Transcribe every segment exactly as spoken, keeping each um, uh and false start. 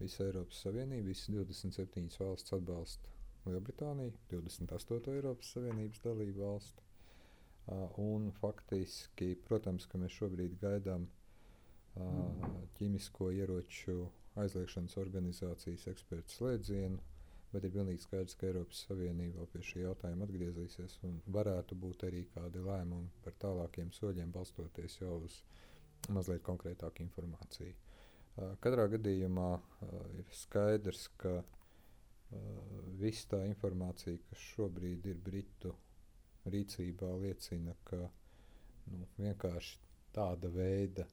visa Eiropas Savienība, visas divdesmit septiņas valstis atbalsta Lielbritāniju, divdesmit astoto Eiropas Savienības dalību valsti. Uh, un faktiski, protams, ka mēs šobrīd gaidām uh, ķīmisko ieroču aizliegšanas organizācijas ekspertu slēdzienu, bet ir pilnīgi skaidrs, ka Eiropas Savienība vēl pie šī jautājuma atgriezīsies un varētu būt arī kādi lēmumi par tālākiem soļiem, balstoties jau uz mazliet konkrētāku informāciju. Uh, katrā gadījumā uh, ir skaidrs, ka uh, viss tā informācija, kas šobrīd ir Britu rīcībā, liecina, ka nu, vienkārši tāda veida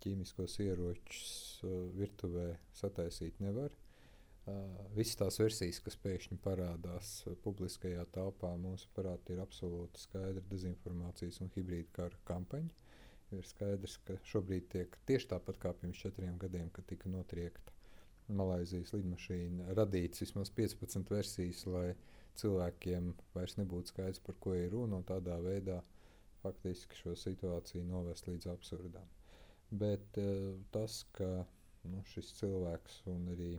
ķīmiskos ieročus uh, virtuvē sataisīt nevar. Uh, visas tās versijas, kas pēkšņi parādās uh, publiskajā telpā, mūsuprāt, ir absolūti skaidra dezinformācijas un hibrīda kara kampaņa. Ir skaidrs, ka šobrīd tiek tieši tāpat kā pirms četriem gadiem, kad tika notriekta Malaizijas lidmašīna, radīts vismaz piecpadsmit versijas, lai cilvēkiem vairs nebūtu skaidrs, par ko ir runa, un tādā veidā faktiski šo situāciju novest līdz absurdām. Bet uh, tas, ka nu, šis cilvēks un arī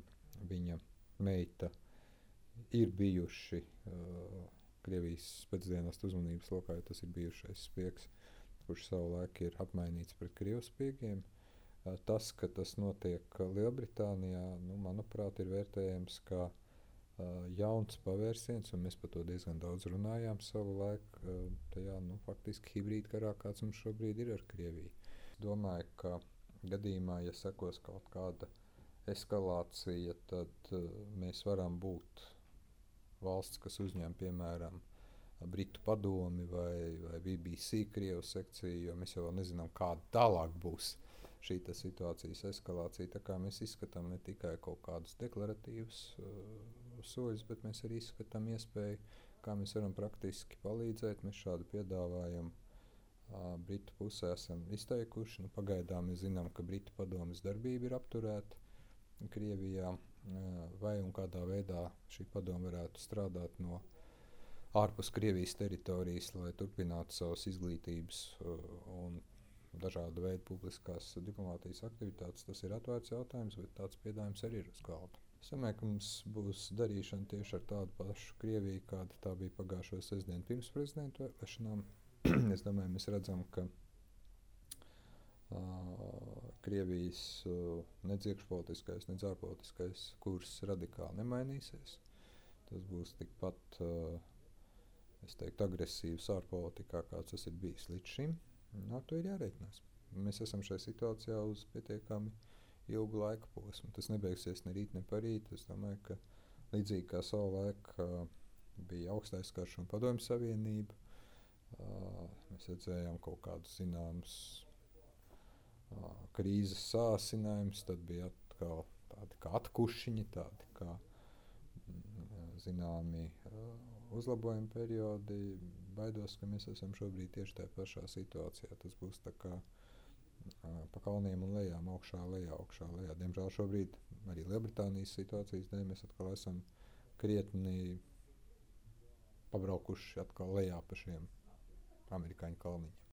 viņa meita ir bijuši uh, Krievijas pēcdienestu uzmanības lokā, jo tas ir bijušais spiegs, kurš savulaik ir apmainīts pret krievu spiegiem. Uh, tas, ka tas notiek Lielbritānijā, nu, manuprāt, ir vērtējams kā uh, jauns pavērsiens, un mēs par to diezgan daudz runājām savulaik, uh, tajā nu, faktiski hibrīda karā, kāds mums šobrīd ir ar Krieviju. Domāju, ka gadījumā, ja sekos kaut kāda eskalācija, tad uh, mēs varam būt valsts, kas uzņem, piemēram, Britu padomi vai, vai B B C Krievu sekciju, jo mēs jau nezinām, kāda tālāk būs šī situācijas eskalācija. Tā kā mēs izskatām ne tikai kaut kādus deklaratīvus uh, soļus, bet mēs arī izskatām iespēju, kā mēs varam praktiski palīdzēt. Mēs šādu piedāvājumu uh, Britu pusē esam izteikuši. Nu, pagaidām mēs zinām, ka Britu padomes darbība ir apturēta Krievijā, uh, vai un kādā veidā šī padome varētu strādāt no ārpus Krievijas teritorijas, lai turpinātu savas izglītības uh, un dažādu veidu publiskās diplomātijas aktivitātes. Tas ir atvērts jautājums, bet tāds piedāvājums arī ir uz galda. Es domāju, ka mums būs darīšana tieši ar tādu pašu Krieviju, kāda tā bija pagājušo sestdienu pirms prezidentu vēlēšanām. Es domāju, mēs redzam, ka uh, Krievijas uh, nedz iekšpolitiskais, nedz ārpolitiskais kurs radikāli nemainīsies. Tas būs tikpat uh, es teiktu, agresīvs ārpolitikā, kāds tas ir bijis līdz šim. Ar to ir jārēķinās. Mēs esam šajā situācijā uz pietiekami ilgu laika posmu. Tas nebeigsies ne rīt, ne parīt. Es domāju, ka līdzīgi kā savulaik uh, bija augstais karš un padomju savienība, uh, mēs redzējām kaut kādus zināmus uh, krīzes sāsinājumus, tad bija atkal tādi kā atkušiņi, tādi kā mm, zināmi uh, uzlabojuma periodi. Baidos, ka mēs esam šobrīd tieši tajā pašā situācijā. Tas būs tā kā uh, pa kalniem un lejām, augšā, lejā, augšā, lejā. Diemžēl šobrīd arī Lielbritānijas situācijas dēļ mēs atkal esam krietni pabraukuši atkal lejā pa šiem amerikāņu kalniņiem.